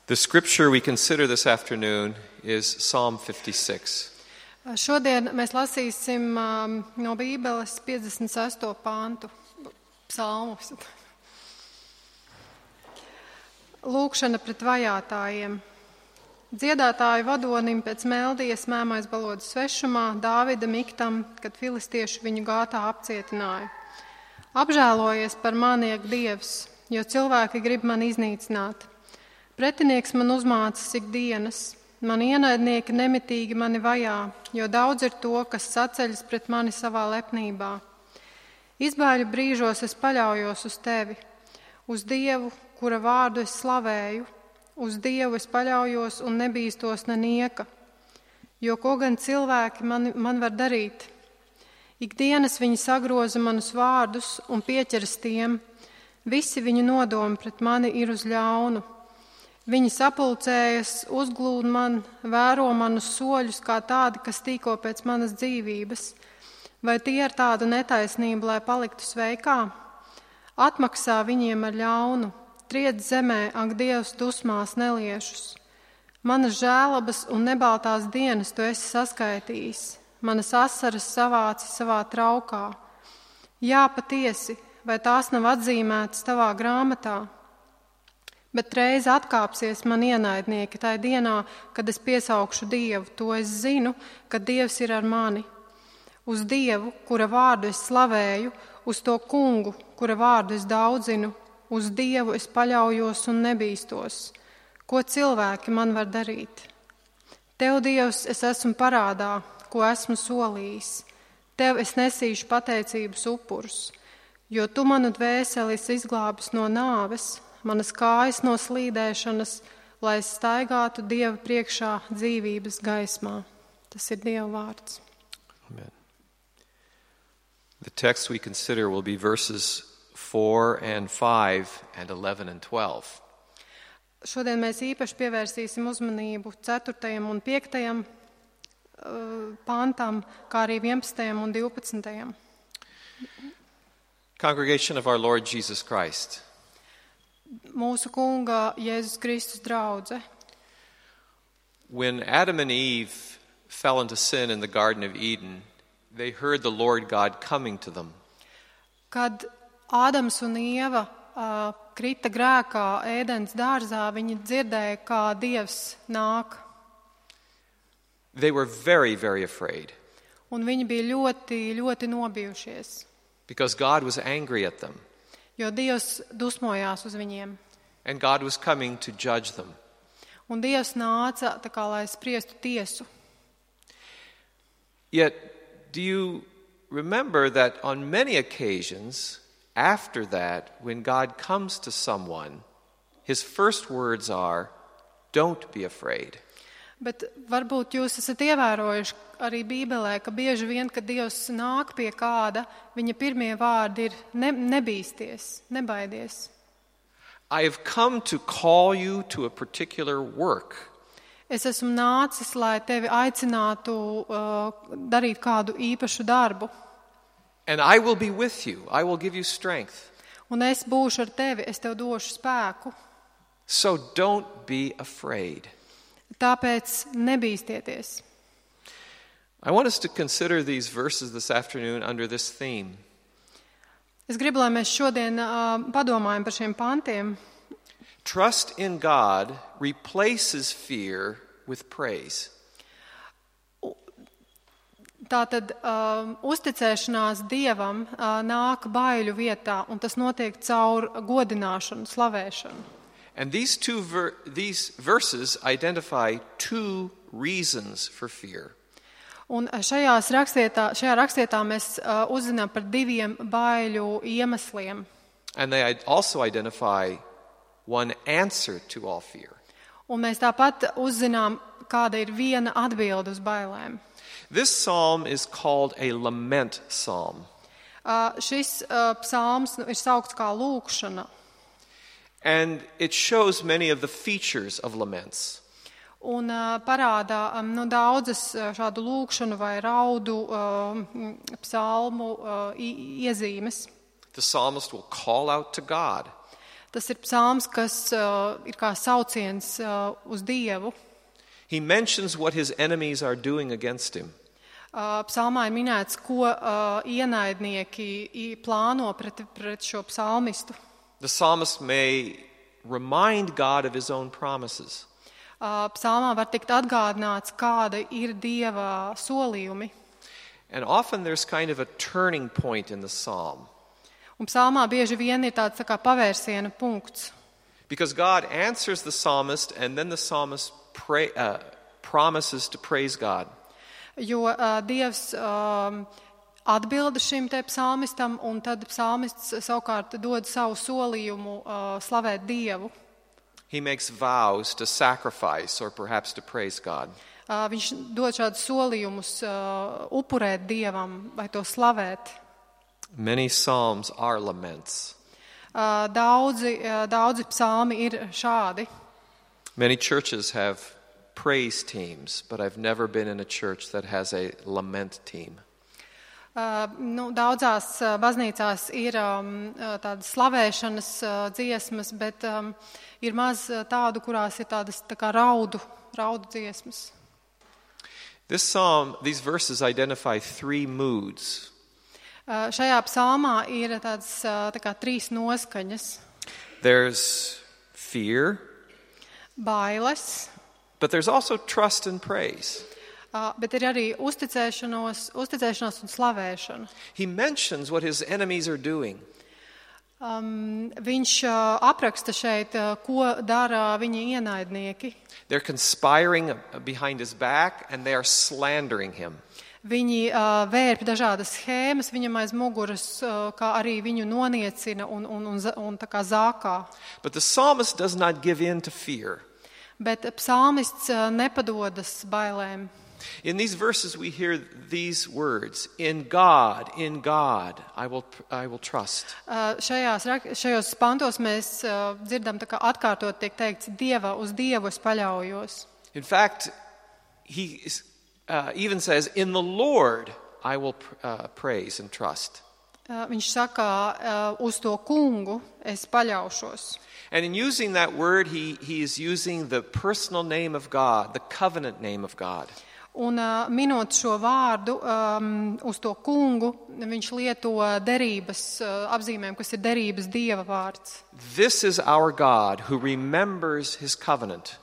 The scripture we consider this afternoon is Psalm 56. Šodien mēs lasīsim no Bībeles 56. pāntu, psalmus. Lūkšana pret vajātājiem. Dziedātāju vadonim pēc meldijas mēmais balodas svešumā, Dāvida miktam, kad filistieši viņu gātā apcietināja. Apžēlojies par mani, ak Dievs, jo cilvēki grib mani iznīcināt. Pretinieks man uzmācas ikdienas, mani ienaidnieki nemitīgi mani vajā, jo daudz ir to, kas saceļas pret mani savā lepnībā. Izbaiļu brīžos es paļaujos uz tevi, uz Dievu, kura vārdu es slavēju, uz Dievu es paļaujos un nebīstos nenieka, jo ko gan cilvēki man var darīt. Ikdienas viņi sagroza manus vārdus un pieķeras tiem, visi viņu nodomi pret mani ir uz ļaunu. Viņi sapulcējas, uzglūd man, vēro manus soļus kā tādi, kas tīko pēc manas dzīvības. Vai tie ar tādu netaisnību, lai paliktu sveikā? Atmaksā viņiem ar ļaunu, triec zemē, ak Dievs, dusmās neliešus. Manas žēlabas un nebaltās dienas tu esi saskaitījis, manas asaras savāci savā traukā. Jā, patiesi, vai tās nav atzīmētas tavā grāmatā? Bet reiz atkāpsies man ienaidnieki tajā dienā, kad es piesaukšu Dievu, to es zinu, ka Dievs ir ar mani. Uz Dievu, kura vārdu es slavēju, uz to kungu, kura vārdu es daudzinu, uz Dievu es paļaujos un nebīstos. Ko cilvēki man var darīt? Tev, Dievs, es esmu parādā, ko esmu solījis. Tev es nesīšu pateicības upurus, jo tu manu dvēseli izglābis no nāves, manas kājas no slīdēšanas, lai es staigātu Dieva priekšā dzīvības gaismā. Tas ir Dieva vārds. Amen. The text we consider will be verses 4 and 5 and 11 and 12. Šodien mēs īpaši pievērsīsim uzmanību 4. un 5. pantam, kā arī 11. un 12. Congregation of our Lord Jesus Christ. Mūsu kunga Jēzus Kristus draudze. When Adam and Eve fell into sin in the Garden of Eden, they heard the Lord God coming to them. Kad Ādams un Ieva krita grēkā Ēdens dārzā, viņi dzirdēja, kā Dievs nāk. They were very, very afraid. Un viņi bija ļoti, ļoti nobijušies. Because God was angry at them. Jo Dievs dusmojās uz viņiem. And God was coming to judge them. Un Dievs nāca tā kā, lai spriestu tiesu. Yet, do you remember that on many occasions after that, when God comes to someone, his first words are, "Don't be afraid." Bet varbūt jūs esat ievērojuši arī Bībelē, ka bieži vien, kad Dievs nāk pie kāda, viņa pirmie vārdi ir nebīsties, nebaidies. I have come to call you to a particular work. Es esmu nācis, lai tevi aicinātu darīt kādu īpašu darbu. And I will be with you. I will give you strength. Un es būšu ar tevi, es tev došu spēku. So don't be afraid. Tāpēc nebīstieties. I want us to consider these verses this afternoon under this theme. Es gribu, lai mēs šodien padomājam par šiem pantiem. Trust in God replaces fear with praise. Tātad uzticēšanās Dievam nāk baiļu vietā, un tas notiek caur godināšanu, slavēšanu. And these verses identify two reasons for fear. Un šajā rakstietā mēs uzzinām par diviem baiļu iemesliem. And they also identify one answer to all fear. Un mēs tāpat uzzinām, kāda ir viena atbilde uz bailēm. This psalm is called a lament psalm. Šis psalms ir saukts kā lūkšana. And it shows many of the features of laments. Un parādā daudzas šādu lūkšanu vai raudu psalmu iezīmes. The psalmist will call out to God. Tas ir psalms, kas ir kā sauciens uz Dievu. He mentions what his enemies are doing against him. Psalmā ir minēts, ko ienaidnieki plāno pret šo psalmistu. The psalmist may remind God of his own promises. Psalmā var tikt atgādināts, kāda ir Dieva solījumi. And often there's kind of a turning point in the psalm. Un psalmā bieži vien ir tāds tā kā pavērsiena punkts. Because God answers the psalmist and then the psalmist promises to praise God. Jo Dievs atbilda šim te psalmistam, un tad psalmists savukārt dod savu solījumu slavēt Dievu. He makes vows to sacrifice or perhaps to praise God. Viņš dod šādus solījumus upurēt Dievam vai to slavēt. Many psalms are laments. Daudzi psalmi ir šādi. Many churches have praise teams, but I've never been in a church that has a lament team. Daudzās baznīcās ir tādas slavēšanas dziesmas, bet ir maz tādu, kurās ir tādas tā kā raudu dziesmas. This psalm, these verses identify three moods. Šajā psalmā ir tādas tā kā trīs noskaņas. There's fear, bailes, but there's also trust and praise. Bet ir arī uzticēšanās un slavēšana. He mentions what his enemies are doing. Viņš apraksta šeit, ko dara viņa ienaidnieki. They're conspiring behind his back and they are slandering him. Viņi vērp dažādas schēmas viņam aiz muguras, kā arī viņu noniecina un tā kā zākā. But the psalmist does not give in to fear. Bet psalmists nepadodas bailēm. In these verses we hear these words, in God, I will trust. Šajos pantos mēs dzirdam, tā kā atkārtot tiek teikts, uz Dievu es paļaujos. In fact, he even says, in the Lord I will praise and trust. Viņš saka, uz to kungu es paļaušos. And in using that word, he is using the personal name of God, the covenant name of God. Un minot šo vārdu uz to kungu, viņš lieto derības apzīmēm, kas ir derības Dieva vārds. This is our God who remembers his covenant.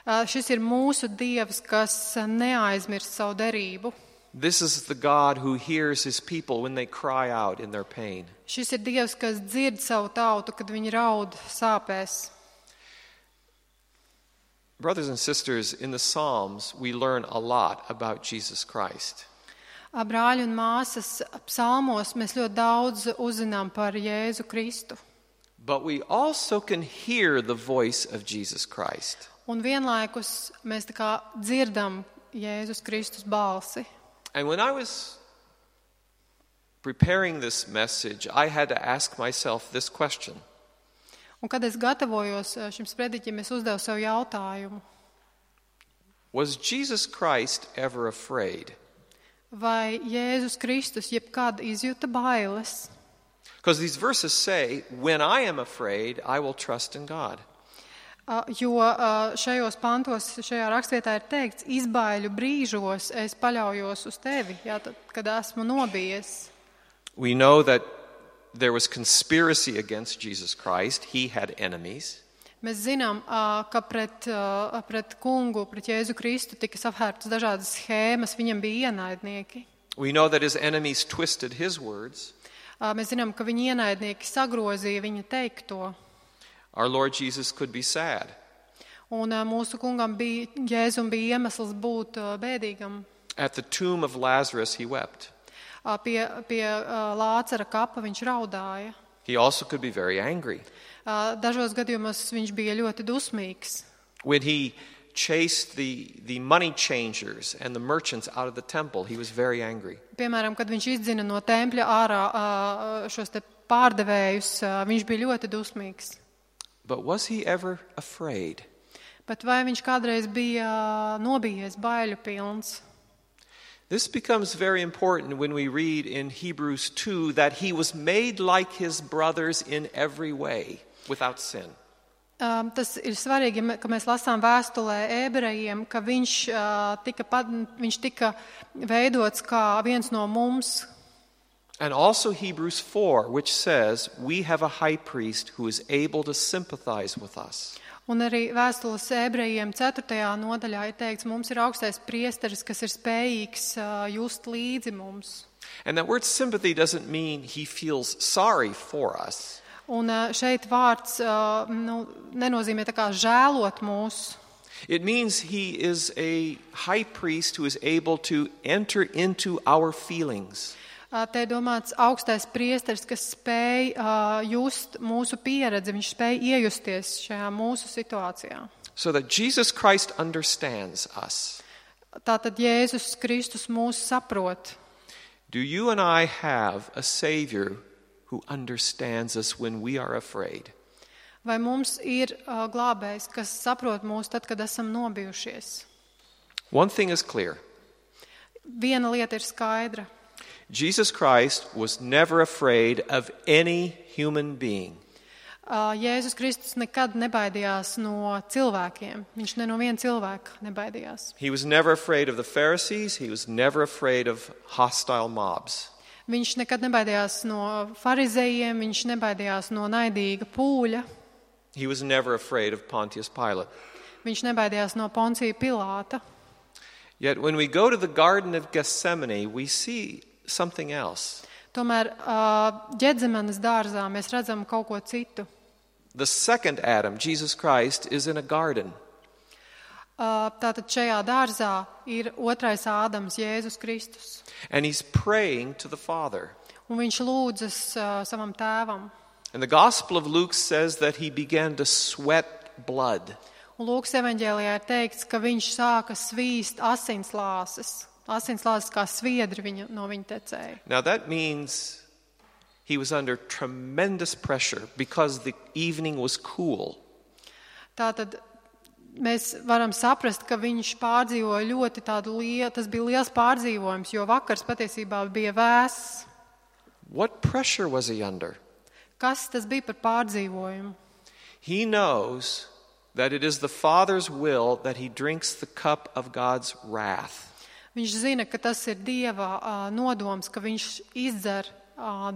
Šis ir mūsu Dievs, kas neaizmirst savu derību. This is the God who hears his people when they cry out in their pain. Šis ir Dievs, kas dzird savu tautu, kad viņi raud sāpēs. Brothers and sisters, in the Psalms, we learn a lot about Jesus Christ. Brāļi un māsas, psalmos mēs ļoti daudz uzzinām par Jēzu Kristu. But we also can hear the voice of Jesus Christ. Un vienlaikus mēs tā kā dzirdam Jēzus Kristus balsi. And when I was preparing this message, I had to ask myself this question. Un kad es gatavojos šim sprediķim, es uzdevu sev jautājumu. Was Jesus Christ ever afraid? Vai Jēzus Kristus jebkad izjuta bailes? Because these verses say, when I am afraid, I will trust in God. Jo šajos pantos, šajā rakstvietā ir teikts, izbaiļu brīžos es paļaujos uz tevi, kad esmu nobijies. We know that there was conspiracy against Jesus Christ. He had enemies. Mēs zinām, ka pret kungu, pret Jēzu Kristu tika savērtas dažādas schēmas, viņam bija ienaidnieki. We know that his enemies twisted his words. Mēs zinām, ka viņa ienaidnieki sagrozīja viņa teikto. Our Lord Jesus could be sad. Un mūsu kungam Jēzum bija iemesls būt bēdīgam. At the tomb of Lazarus he wept. Pie Lācara kapa viņš raudāja. He also could be very angry. Dažos gadījumos viņš bija ļoti dusmīgs. When he chased the money changers and the merchants out of the temple, he was very angry. Piemēram, kad viņš izdzina no tempļa ārā šos te pārdevējus, viņš bija ļoti dusmīgs. But was he ever afraid? Bet vai viņš kādreiz bija nobijies, baiļu pilns? This becomes very important when we read in Hebrews 2 that he was made like his brothers in every way. without sin. Tas ir svarīgi, ka mēs lasām vēstulē ebrejiem, ka viņš tika veidots kā viens no mums. And also Hebrews 4, which says, we have a high priest who is able to sympathize with us. Un arī vēstules ebrejiem 4. nodaļā ir teikts, mums ir augstais priesteris, kas ir spējīgs just līdzi mums. And that word sympathy doesn't mean he feels sorry for us. Un šeit vārds nenozīmē tā kā žēlot mūs. It means he is a high priest who is able to enter into our feelings. Te domāts augstais priesteris, kas spēj just mūsu pieredzi, viņš spēj iejusties šajā mūsu situācijā. So that Jesus Christ understands us. Tātad Jēzus Kristus mūs saprot. Do you and I have a Savior who understands us when we are afraid? Vai mums ir glābējs, kas saprot mūs tad, kad esam nobijušies? One thing is clear. Viena lieta ir skaidra. Jesus Christ was never afraid of any human being. Jēzus Kristus nekad nebaidījās no cilvēkiem. Viņš ne no viena cilvēka nebaidījās. He was never afraid of the Pharisees. He was never afraid of hostile mobs. Viņš nekad nebaidījās no farizejiem, viņš nebaidījās no naidīga pūļa. He was never afraid of Pontius Pilate. Viņš nebaidījās no Poncija Pilāta. Yet when we go to the Garden of Gethsemane, we see something else. Tomēr Ģedzemanes dārzā mēs redzam kaut ko citu. The second Adam, Jesus Christ, is in a garden. Tātad šajā dārzā ir otrais Ādams, Jēzus Kristus. And he's praying to the Father. Un viņš lūdzas savam tēvam. And the Gospel of Luke says that he began to sweat blood. Un Lūkas evaņģēlijā ir teikts, ka viņš sāka svīst asinslāses. Asinslāses kā sviedri no viņa tecēja. Now that means he was under tremendous pressure because the evening was cool. Tātad mēs varam saprast, ka viņš pārdzīvoja ļoti tādu lielu, tas bija liels pārdzīvojums, jo vakars patiesībā bija vēss. What pressure was he under? Kas tas bija par pārdzīvojumu? He knows that it is the Father's will that he drinks the cup of God's wrath. Viņš zina, ka tas ir Dieva nodoms, ka viņš izdzer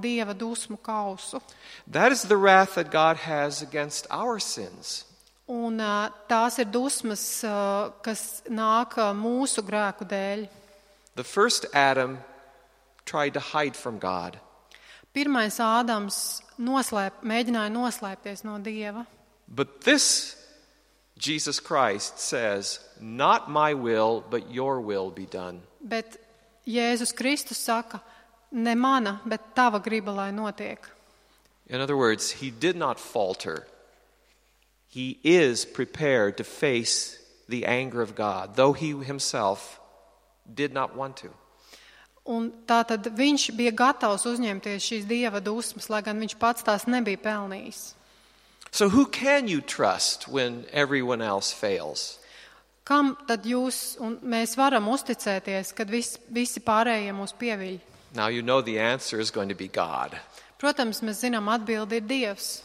Dieva dusmu kausu. That is the wrath that God has against our sins. Un tās ir dusmas, kas nāk mūsu grēku dēļ. The first Adam tried to hide from God. Pirmais Ādams mēģināja noslēpties no Dieva. But this Jesus Christ says, not my will, but your will be done. Bet Jēzus Kristus saka, ne mana, bet tava griba, lai notiek. In other words, he did not falter. He is prepared to face the anger of God, though he himself did not want to. Un tātad viņš bija gatavs uzņemties šīs Dieva dusmas, lai gan viņš pats tās nebija pelnījis. So who can you trust when everyone else fails? Kam tad jūs un mēs varam uzticēties, kad visi pārējie mūs pieviļ? Now you know the answer is going to be God. Protams, mēs zinām, atbildi ir Dievs.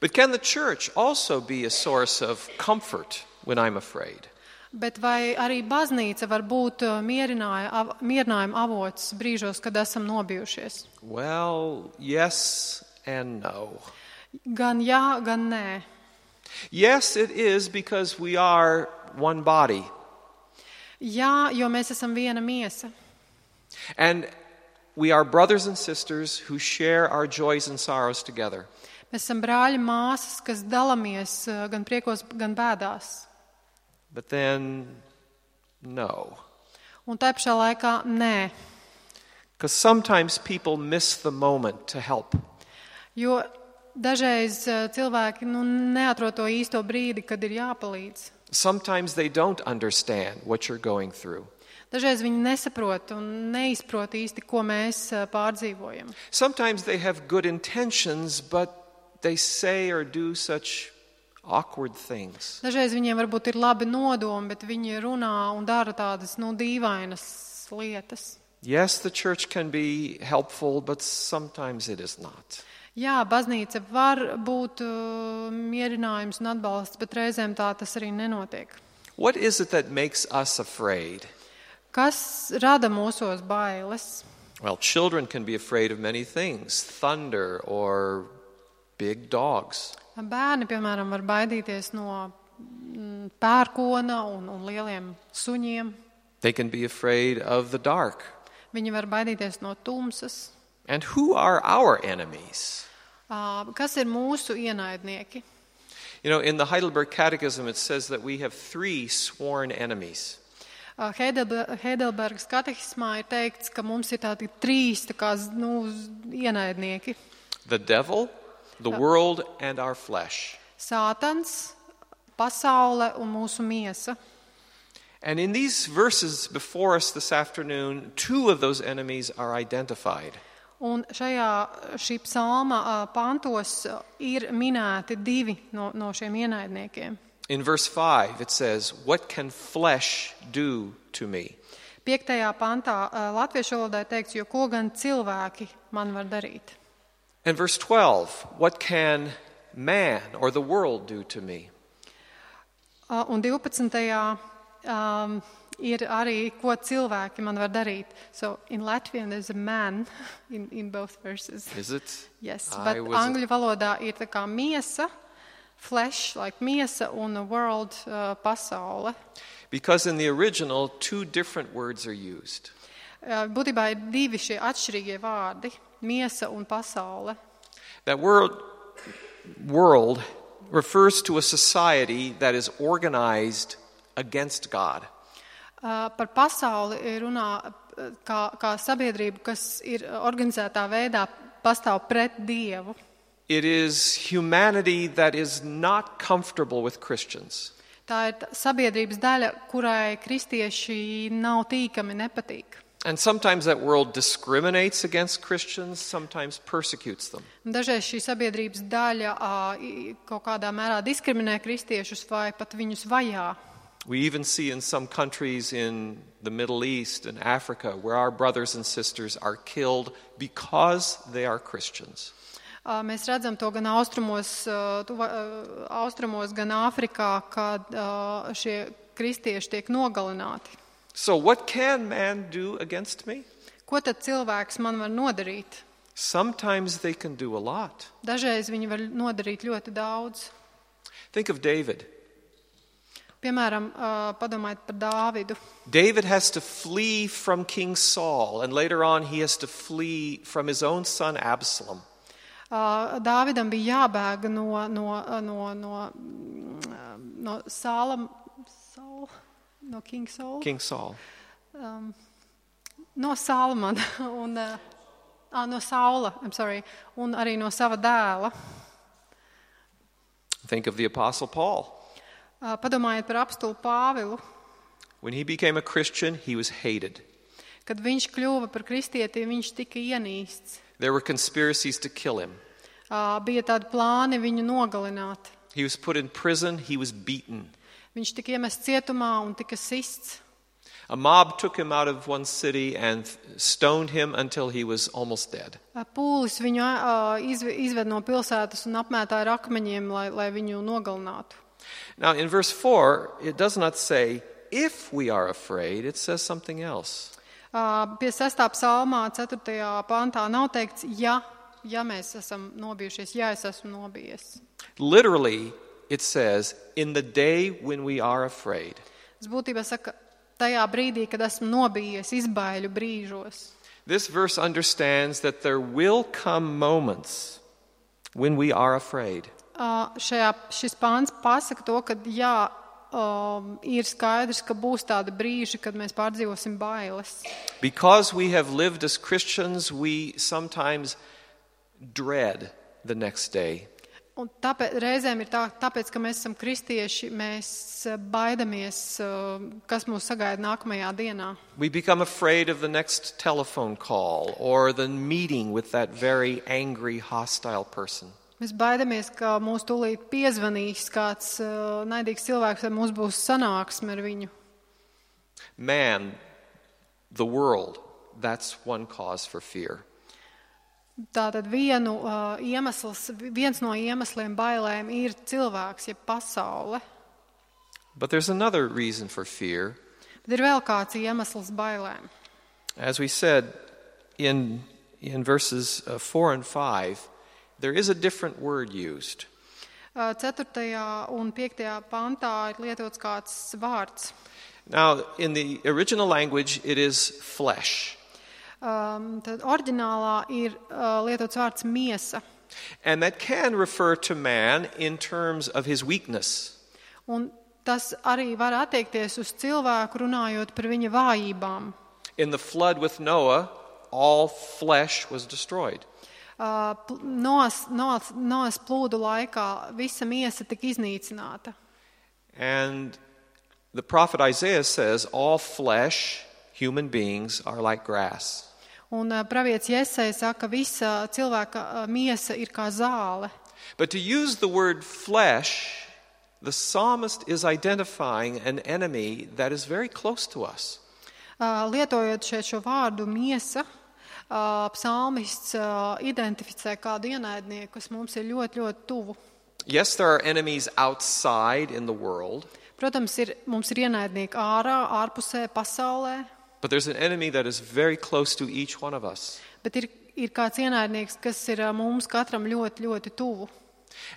But can the church also be a source of comfort when I'm afraid? Bet vai arī baznīca var būt mierinājuma avots brīžos, kad esam nobijušies? Well, yes and no. Gan jā, gan nē. Yes, it is because we are one body. Jā, jo mēs esam viena miesa. And we are brothers and sisters who share our joys and sorrows together. Mēs esam brāļi māsas, kas dalamies gan priekos, gan bēdās. But then, no. Un tā pašā laikā nē. Because sometimes people miss the moment to help. Jo dažreiz cilvēki neatrod to īsto brīdi, kad ir jāpalīdz. Sometimes they don't understand what you're going through. Dažreiz viņi nesaprot un neizprot īsti, ko mēs pārdzīvojam. Sometimes they have good intentions, but they say or do such awkward things. Dažreiz viņiem varbūt ir labi nodomi, bet viņi runā un dara tādas, dīvainas lietas. Yes, the church can be helpful, but sometimes it is not. Jā, baznīca var būt mierinājums un atbalsts, bet reizēm tā tas arī nenotiek. What is it that makes us afraid? Kas rada mūsos bailes? Well, children can be afraid of many things, thunder or big dogs. Bērni, piemēram, var baidīties no pērkona un lieliem suņiem. They can be afraid of the dark. Viņi var baidīties no tumsas. And who are our enemies? Kas ir mūsu ienaidnieki? You know, in the Heidelberg Catechism, it says that we have 3 sworn enemies. Heidelbergas katehismā ir teikts, ka mums ir tādi 3 ienaidnieki. The devil, the world, and our flesh. Sātans, pasaule un mūsu miesa. And in these verses before us this afternoon, 2 of those enemies are identified. Un šī psalma pantos ir minēti 2 no šiem ienaidniekiem. In verse 5 it says, "What can flesh do to me?" 5. pantā latviešu valodā teikts, jo ko gan cilvēki man var darīt. And verse 12, "What can man or the world do to me?" Un 12. Ir arī, ko cilvēki man var darīt. So in Latvian there's a man in both verses. Is it? Yes, but angļu valodā ir tā kā miesa, flesh, like miesa, un a world, pasaule. Because in the original, 2 different words are used. Būtībā ir 2 šie atšķirīgie vārdi, miesa un pasaule. That world refers to a society that is organized against God. Par pasauli runā kā sabiedrību, kas ir organizētā veidā pastāv pret Dievu. It is humanity that is not comfortable with Christians. Tā ir sabiedrības daļa, kurai kristieši nav tīkami, nepatīk. And sometimes that world discriminates against Christians, sometimes persecutes them. Dažreiz šī sabiedrības daļa kaut kādā mērā diskriminē kristiešus vai pat viņus vajā. We even see in some countries in the Middle East and Africa where our brothers and sisters are killed because they are Christians. Mēs redzam to gan austrumos, gan Āfrikā, kad šie kristieši tiek nogalināti. So what can man do against me? Ko tad cilvēks man var nodarīt? Sometimes they can do a lot. Dažreiz viņi var nodarīt ļoti daudz. Think of David. Piemēram, padomājiet par Dāvidu. David has to flee from King Saul, and later on he has to flee from his own son Absalom. Dāvidam bija jābēg no King Saul. King Saul. No Salmana un no Saula, un arī no sava dēla. Think of the Apostle Paul. Padomājiet par apstulu Pāvilu. When he became a Christian, he was hated. Kad viņš kļuva par kristieti, viņš tika ienīsts. There were conspiracies to kill him. Bija tādi plāni viņu nogalināt. He was put in prison, he was beaten. Viņš tika iemests cietumā un tika sists. A mob took him out of one city and stoned him until he was almost dead. Pūlis viņu izved no pilsētas un apmētāja ar akmeņiem, lai viņu nogalinātu. Now in verse 4, it does not say, if we are afraid, it says something else. Pie 6. psalmā, 4. pantā nav teikts, ja mēs esam nobijušies, ja es esmu nobijies. Literally, it says, in the day when we are afraid. Tas būtībā saka, tajā brīdī, kad esmu nobijies, izbaiļu brīžos. This verse understands that there will come moments when we are afraid. Šis pāns pasaka to, ka ir skaidrs, ka būs tādi brīži, kad mēs pārdzīvosim bailes. Because we have lived as Christians, we sometimes dread the next day. Un reizēm ir tāpēc, ka mēs esam kristieši, mēs baidamies, kas mūs sagaida nākamajā dienā. We become afraid of the next telephone call or the meeting with that very angry, hostile person. Mēs baidamies, ka mūs tūlīt piezvanīs kāds naidīgs cilvēks, vai mums būs sanāksme ar viņu. Man, the world, that's one cause for fear. Tātad viens no iemesliem bailēm ir cilvēks, jeb pasaule. But there's another reason for fear. Bet ir vēl kāds iemesls bailēm. As we said in verses 4 and 5, there is a different word used. 4. un 5. pantā ir lietots kāds vārds. Now, in the original language, it is flesh. Tad oriģinālā ir lietots vārds miesa. And that can refer to man in terms of his weakness. Un tas arī var attiekties uz cilvēku runājot par viņa vājībām. In the flood with Noah, all flesh was destroyed. Noas plūdu laikā visa miesa tika iznīcināta. And the prophet Isaiah says, all flesh, human beings, are like grass. Un pravietis Jesai saka, visa cilvēka miesa ir kā zāle. But to use the word flesh, the psalmist is identifying an enemy that is very close to us. Lietojot šeit šo vārdu miesa, psalmists identificē kādu ienaidnieku, kas mums ir ļoti, ļoti tuvu. Yes, there are enemies outside in the world. Protams, mums ir ienaidnieki ārpusē, pasaulē. But there's an enemy that is very close to each one of us. Bet ir kāds ienaidnieks, kas ir mums katram ļoti, ļoti tuvu.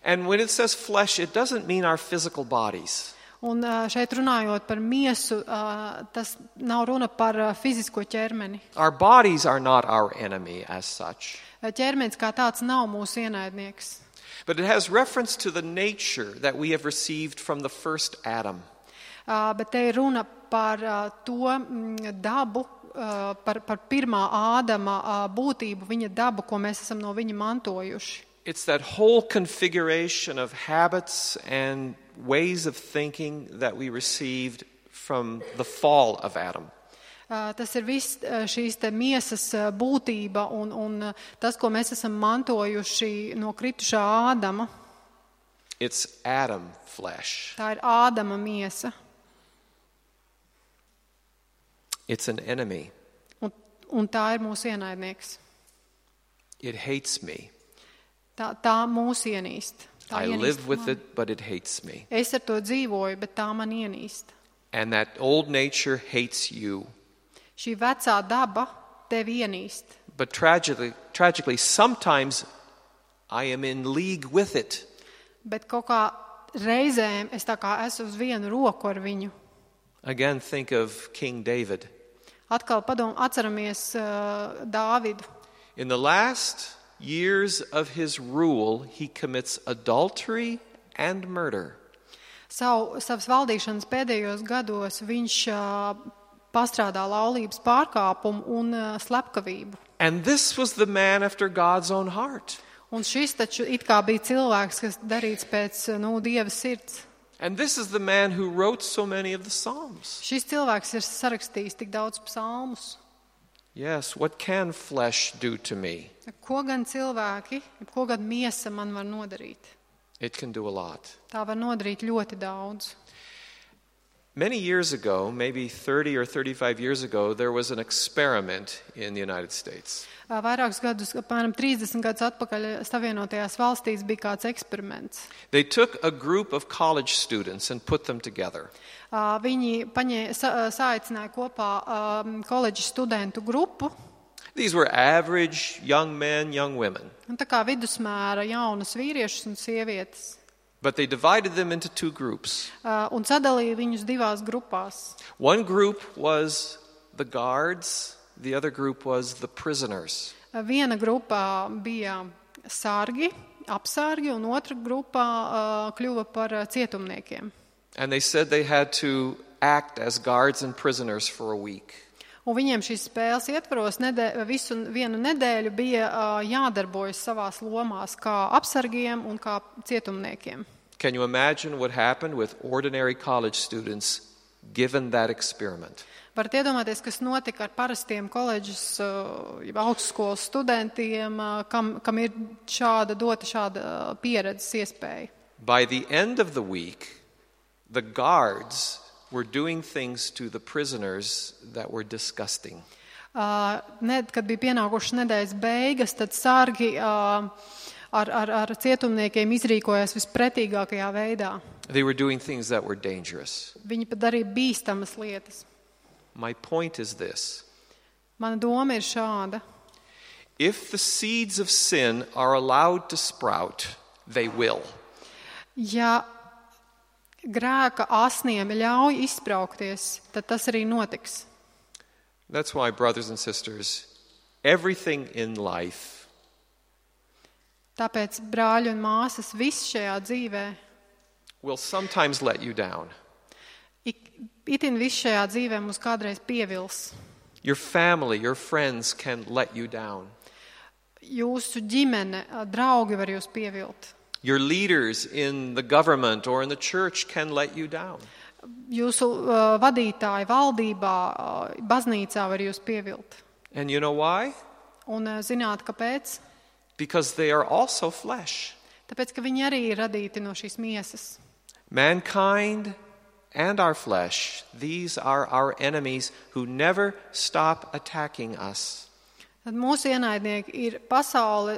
And when it says flesh, it doesn't mean our physical bodies. Un šeit runājot par miesu, tas nav runa par fizisko ķermeni. Our bodies are not our enemy as such. Ķermenis kā tāds nav mūsu ienaidnieks. But it has reference to the nature that we have received from the first Adam. Bet te ir runa par to dabu, par pirmā Ādama būtību, viņa dabu, ko mēs esam no viņa mantojuši. It's that whole configuration of habits and ways of thinking that we received from the fall of Adam. Tas ir viss šīs te miesas būtība un tas, ko mēs esam mantojuši no kritušā Ādama. It's Adam flesh. Tā ir Ādama miesa. It's an enemy. Un tā ir mūsu ienaidnieks. It hates me. Tā mūs ienīst. I live with it, but it hates me. Es ar to dzīvoju, bet tā man ienīst. And that old nature hates you. Šī vecā daba tevi ienīst. But tragically, sometimes I am in league with it. Bet kaut kā reizēm es tā kā esmu uz vienu roku ar viņu. Again, think of King David. Atkal atceramies Dāvidu. In the last years of his rule, he commits adultery and murder. Savas valdīšanas pēdējos gados viņš pastrādā laulības pārkāpumu un slepkavību. And this was the man after God's own heart. Un šis taču it kā bija cilvēks, kas darīts pēc Dieva sirds. And this is the man who wrote so many of the Psalms. Šis cilvēks ir sarakstījis tik daudz psalmus. Yes, what can flesh do to me? Ko gan cilvēki, ko gan miesa man var nodarīt? It can do a lot. Tā var nodarīt ļoti daudz. Many years ago, maybe 30 or 35 years ago, there was an experiment in the United States. Vairākus gadus, apmēram 30 gadus atpakaļ Savienotajās valstīs bija kāds eksperiments. They took a group of college students and put them together. Viņi saicināja kopā koledžas studentu grupu. These were average young men, young women. Un tā kā vidusmēra jaunas vīriešus un sievietes. But they divided them into two groups. Un sadalīja viņus divās grupās. One group was the guards, the other group was the prisoners. Viena grupā bija sargi, apsargi, un otra grupā kļuva par cietumniekiem. And they said they had to act as guards and prisoners for a week. Un viņiem šīs spēles ietvaros vienu nedēļu bija jādarbojas savās lomās kā apsargiem un kā cietumniekiem. Can you imagine what happened with ordinary college students given that experiment? Varat iedomāties, kas notika ar parastiem koledžas, augstskolas studentiem, kam ir dota šāda pieredzes iespēja. By the end of the week, the guards were doing things to the prisoners that were disgusting. Kad bija pienākušas nedēļas beigas, tad sargi ar cietumniekiem izrīkojās vispretīgākajā veidā. They were doing things that were dangerous. Viņi pat darīja bīstamas lietas. My point is this. Mana doma ir šāda. If the seeds of sin are allowed to sprout, they will. Ja grēka asniem ļauj izspraukties, tad tas arī notiks. That's why, brothers and sisters, everything in life Tāpēc, brāļi un māsas, viss šajā dzīvē, will sometimes let you down. Itin viss šajā dzīvē mūs kādreiz pievils. Your family, your friends can let you down. Jūsu ģimene, draugi var jūs pievilt. Your leaders in the government or in the church can let you down. Jūsu vadītāji valdībā, baznīcā var jūs pievilt. And you know why? Un zināt, kāpēc? Because they are also flesh. Tāpēc, ka viņi arī ir radīti no šīs miesas. Mankind and our flesh, these are our enemies who never stop attacking us. Tad mūsu ienaidnieki ir pasaule,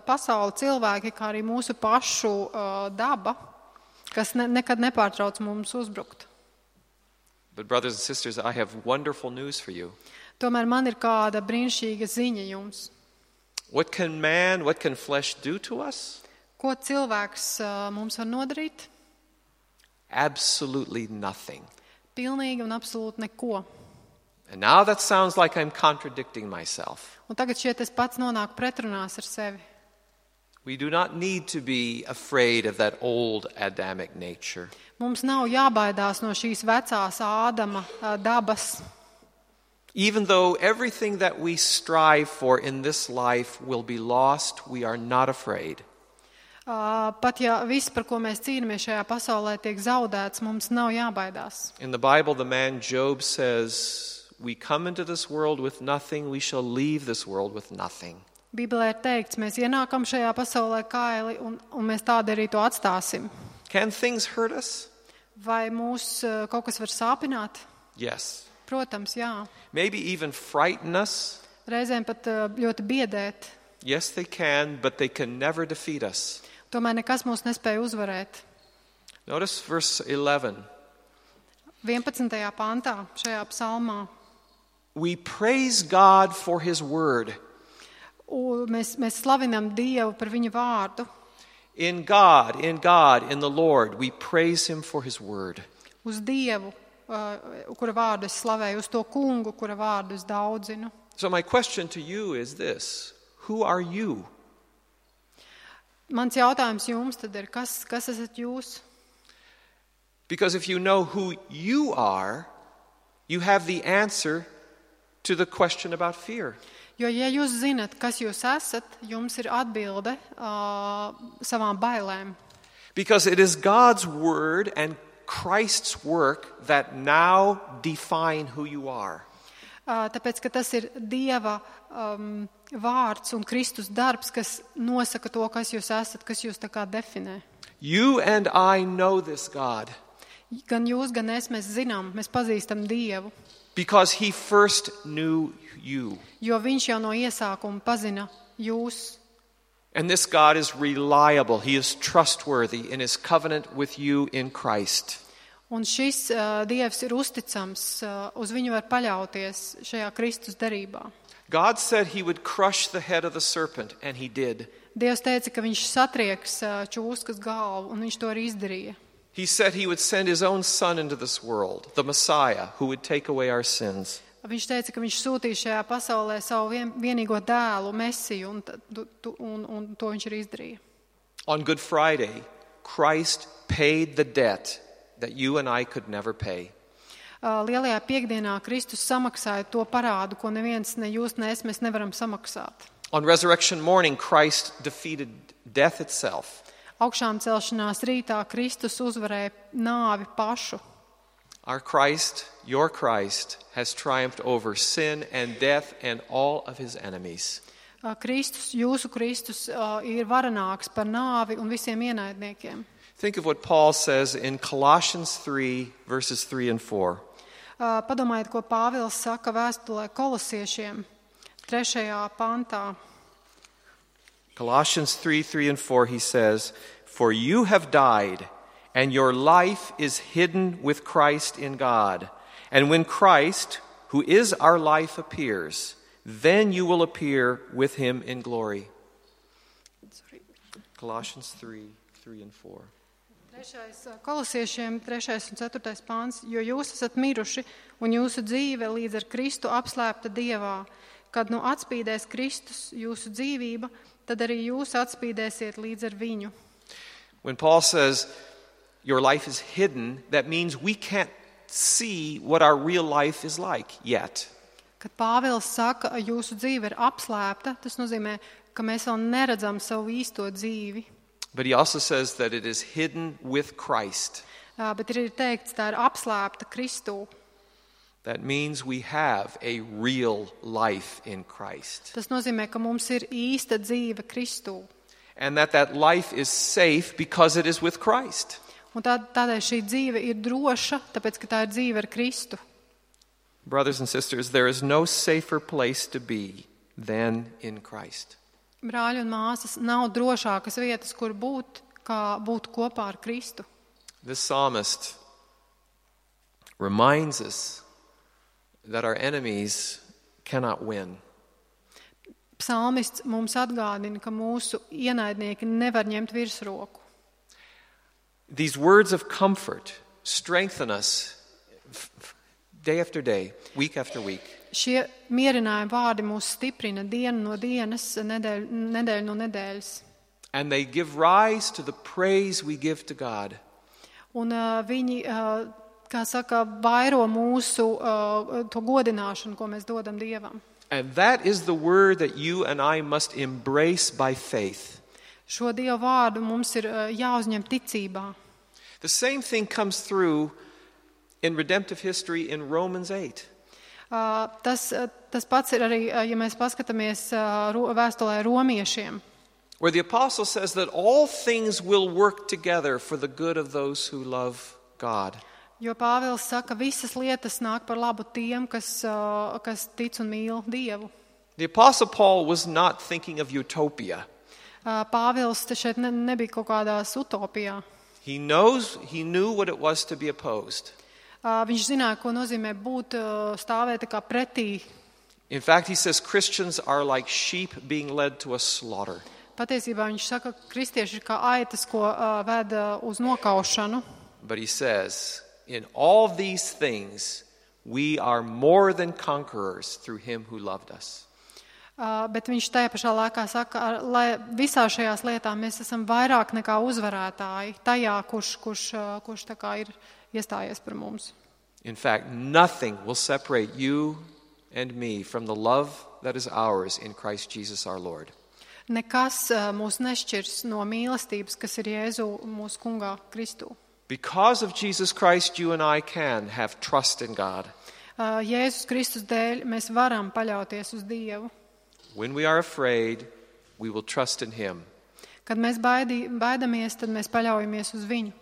pasaule cilvēki, kā arī mūsu pašu daba, kas nekad nepārtrauc mums uzbrukt. But brothers and sisters, I have wonderful news for you. Tomēr man ir kāda brīnišķīga ziņa jums. What can flesh do to us? Ko cilvēks mums var nodarīt? Absolutely nothing. Pilnīgi un absolūti neko. And now that sounds like I'm contradicting myself. Un tagad šeit es pats nonāku pretrunās ar sevi. We do not need to be afraid of that old Adamic nature. Mums nav jābaidās no šīs vecās Ādama dabas. Even though everything that we strive for in this life will be lost, we are not afraid. Pat ja viss, par ko mēs cīnāmies šajā pasaulē, tiek zaudēts, mums nav jābaidās. In the Bible, the man Job says, we come into this world with nothing, we shall leave this world with nothing. Bībelē ir teikts, mēs ienākam šajā pasaulē kaili un mēs tādi arī to atstāsim. Can things hurt us? Vai mūs kaut kas var sāpināt? Yes. Protams, jā. Maybe even frighten us? Reizēm pat ļoti biedēt. Yes, they can, but they can never defeat us. Tomēr nekas mūs nespēja uzvarēt. Notice verse 11. 11. pantā šajā psalmā. We praise God for His word. Mēs slavinam Dievu par viņa vārdu. In God, in the Lord, we praise Him for His word. Uz Dievu, kura vārdu es slavēju, uz to kungu, kura vārdu es daudzinu. So my question to you is this: who are you? Mans jautājums jums tad ir, kas esat jūs? Because if you know who you are, you have the answer to the question about fear. Jo, ja jūs zinat, kas jūs esat, jums ir atbilde savām bailēm. Because it is God's word and Christ's work that now define who you are. Tāpēc, ka tas ir Dieva vārds un Kristus darbs, kas nosaka to, kas jūs esat, kas jūs tā kā definē. You and I know this God. Gan jūs, gan es, mēs zinām, mēs pazīstam Dievu. Because He first knew you. Jo viņš jau no iesākuma pazina jūs. And this God is reliable. He is trustworthy in His covenant with you in Christ. Un šis Dievs ir uzticams, uz viņu var paļauties šajā Kristus derībā. God said He would crush the head of the serpent, and He did. Dievs teica, ka viņš satrieks čūskas galvu, un viņš to arī izdarīja. He said He would send His own Son into this world, the Messiah, who would take away our sins. Viņš teica, ka viņš sūtīja šajā pasaulē savu vienīgo dēlu, Mesiju, un to viņš arī izdarīja. On Good Friday, Christ paid the debt that you and I could never pay. Lielajā piekdienā Kristus samaksāja to parādu, ko neviens, ne jūs, ne es, mēs nevaram samaksāt. On resurrection morning, Christ defeated death itself. Augšām celšanās rītā Kristus uzvarēja nāvi pašu. Our Christ, your Christ, has triumphed over sin and death and all of His enemies. Kristus, jūsu Kristus, ir varenāks par nāvi un visiem ienaidniekiem. Think of what Paul says in Colossians 3, verses 3 and 4. Padomājiet, ko Pāvils saka vēstulē Kolosiešiem 3. pantā. Colossians 3 and 4, he says, "For you have died, and your life is hidden with Christ in God. And when Christ, who is our life, appears, then you will appear with him in glory." Colossians 3 and 4. Kolosiešiem 3. un 4. pāns, jo jūs esat miruši, un jūsu dzīve līdz ar Kristu apslēpta Dievā. Kad nu atspīdēs Kristus jūsu dzīvība, tad arī jūs atspīdēsiet līdz ar viņu. When Paul says your life is hidden, that means we can't see what our real life is like yet. Kad Pāvils saka, jūsu dzīve ir apslēpta, tas nozīmē, ka mēs vēl neredzam savu īsto dzīvi. But he also says that it is hidden with Christ. Bet ir teikts, tā ir apslēpta Kristū. That means we have a real life in Christ. Tas nozīmē, ka mums ir īsta dzīve Kristū. And that life is safe because it is with Christ. Un tādēļ šī dzīve ir droša, tāpēc, ka tā ir dzīve ar Kristu. Brothers and sisters, there is no safer place to be than in Christ. Brāļi un māsas, nav drošākas vietas, kur būt, kā būt kopā ar Kristu. This psalmist reminds us that our enemies cannot win. Psalmists mums atgādina, ka mūsu ienaidnieki nevar ņemt virsroku. These words of comfort strengthen us day after day, week after week. Šie mierinājumi vārdi mūs stiprina dienu no dienas, nedēļu no nedēļas. And they give rise to the praise we give to God. Un viņi, kā saka, vairo mūsu to godināšanu, ko mēs dodam Dievam. And that is the word that you and I must embrace by faith. Šo Dievu vārdu mums ir jāuzņem ticībā. The same thing comes through in redemptive history in Romans 8. Tas pats ir arī, ja mēs paskatāmies vēstulē romiešiem. Where the apostle says that all things will work together for the good of those who love God. Jo Pāvils saka, visas lietas nāk par labu tiem, kas tic un mīl Dievu. The apostle Paul was not thinking of utopia. Pāvils šeit nebija kaut kādās utopijā. He knew what it was to be opposed. Viņš zināja, ko nozīmē būt stāvēt kā pretī. In fact, he says Christians are like sheep being led to a slaughter. Patiesībā viņš saka, ka kristieši ir kā aitas, ko ved uz nokaušanu. But he says, in all these things, we are more than conquerors through him who loved us. Bet viņš tajā pašā laikā saka, lai visā šajās lietās mēs esam vairāk nekā uzvarētāji tajā, kurš tā kā ir iestājies par mums. In fact, nothing will separate you and me from the love that is ours in Christ Jesus our Lord. Nekas mūs nešķirs no mīlestības, kas ir Jēzu mūsu kungā Kristū. Because of Jesus Christ, you and I can have trust in God. Jēzus Kristus dēļ mēs varam paļauties uz Dievu. When we are afraid, we will trust in him. Kad mēs baidamies, tad mēs paļaujamies uz viņu.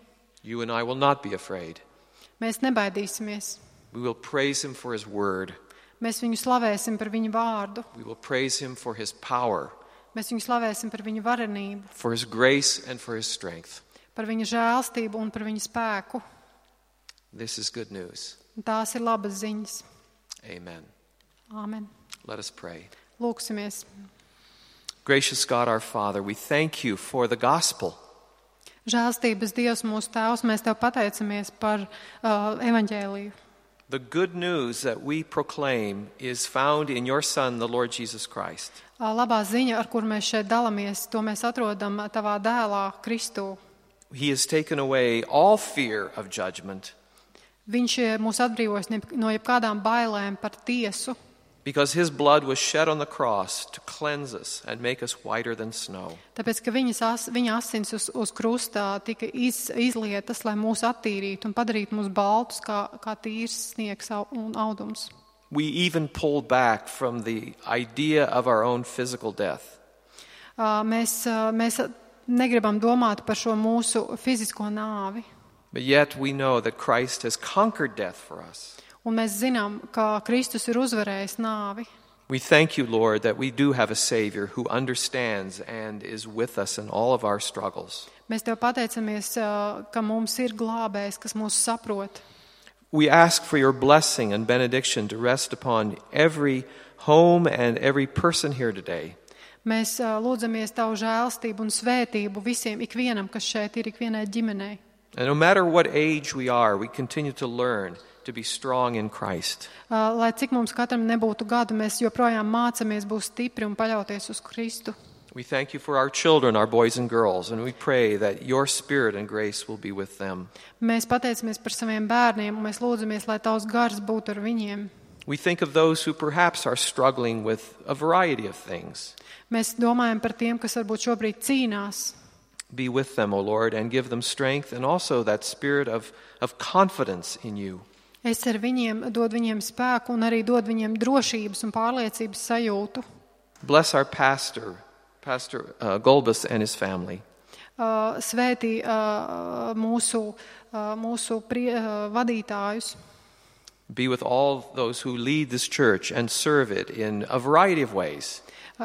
You and I will not be afraid. Mēs nebaidīsimies. We will praise him for his word. Mēs viņu slavēsim par viņu vārdu. We will praise him for his power, Mēs viņu slavēsim par viņu varenību, for his grace and for his strength. par viņa žēlstību un par viņa spēku. This is good news. Un tās ir labas ziņas. Amen. Āmen. Let us pray. Lūksimies. Gracious God, our Father, we thank you for the gospel. Žēlstības Dievs mūsu Tēvs, mēs Tev pateicamies par evaņģēliju. The good news that we proclaim is found in your Son, the Lord Jesus Christ. Labā ziņa, ar kur mēs šeit dalamies, to mēs atrodam Tavā dēlā Kristū. He has taken away all fear of judgment Viņš mūs atbrīvojas no jebkādām bailēm par tiesu, because his blood was shed on the cross to cleanse us and make us whiter than snow. tāpēc, ka viņa asins uz krustā tika izlietas, lai mūs attīrītu un padarītu mūs baltus kā tīrs sniegs un audums. We even pulled back from the idea of our own physical death. Mēs negribam domāt par šo mūsu fizisko nāvi. But yet we know that Christ has conquered death for us. Un mēs zinām, ka Kristus ir uzvarējis nāvi. We thank you, Lord, that we do have a Savior who understands and is with us in all of our struggles. Mēs Tev pateicamies, ka mums ir glābējs, kas mūs saprot. We ask for your blessing and benediction to rest upon every home and every person here today. Mēs lūdzamies Tavu žēlstību un svētību visiem, ikvienam, kas šeit ir, ikvienai ģimenei. And no matter what age we are, we continue to learn to be strong in Christ. Lai cik mums katram nebūtu gadu, mēs joprojām mācamies būt stipri un paļauties uz Kristu. We thank you for our children, our boys and girls, and we pray that your spirit and grace will be with them. Mēs pateicamies par saviem bērniem, un mēs lūdzamies, lai Tavs gars būtu ar viņiem. We think of those who perhaps are struggling with a variety of things. Mēs domājam par tiem, kas varbūt šobrīd cīnās. Be with them, O Lord, and give them strength and also that spirit of confidence in you. Es ar viņiem dod viņiem spēku un arī dod viņiem drošības un pārliecības sajūtu. Bless our Pastor Golbus and his family. Svētī mūsu vadītājus. Be with all those who lead this church and serve it in a variety of ways.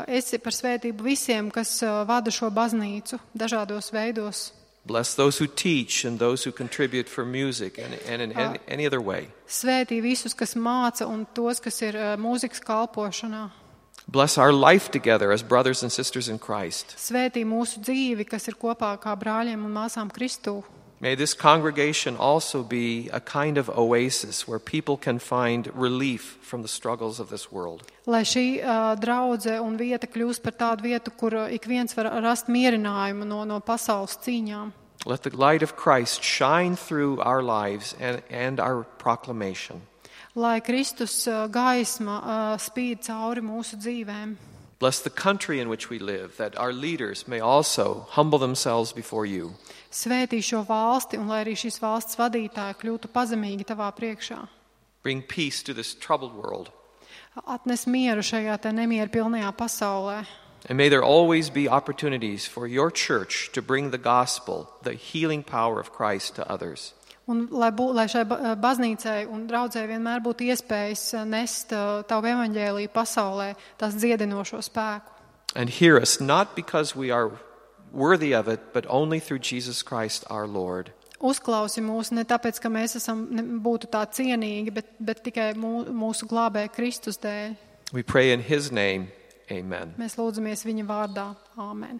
Esi par svētību visiem, kas vada šo baznīcu dažādos veidos. Bless those who teach and those who contribute for music and in any other way. Svētī visus, kas māca un tos, kas ir mūzikas kalpošanā. Bless our life together as brothers and sisters in Christ. Svētī mūsu dzīvi, kas ir kopā kā brāļiem un māsām Kristū. May this congregation also be a kind of oasis where people can find relief from the struggles of this world. Lai šī draudze un vieta kļūst par tādu vietu, kur ik viens var rast mierinājumu no pasaules cīņām. Let the light of Christ shine through our lives and our proclamation. Lai Kristus gaisma spīd cauri mūsu dzīvēm. Bless the country in which we live, that our leaders may also humble themselves before you. Svētī šo valsti un lai arī šīs valsts vadītāji kļūtu pazemīgi Tavā priekšā. Bring peace to this troubled world. Atnes mieru šajā te nemieru pilnajā pasaulē. And may there always be opportunities for your church to bring the gospel, the healing power of Christ to others. Un lai šai baznīcai un draudzē vienmēr būtu iespējas nest Tavu evaņģēliju pasaulē, tās dziedinošo spēku. And hear us not because we are worthy of it, but only through Jesus Christ our Lord. Uzklausi mūs ne tāpēc, ka mēs būtu tā cienīgi, bet tikai mūsu glābēja Kristus dēļ. We pray in His name. Amen. Mēs lūdzamies viņa vārdā. Āmen.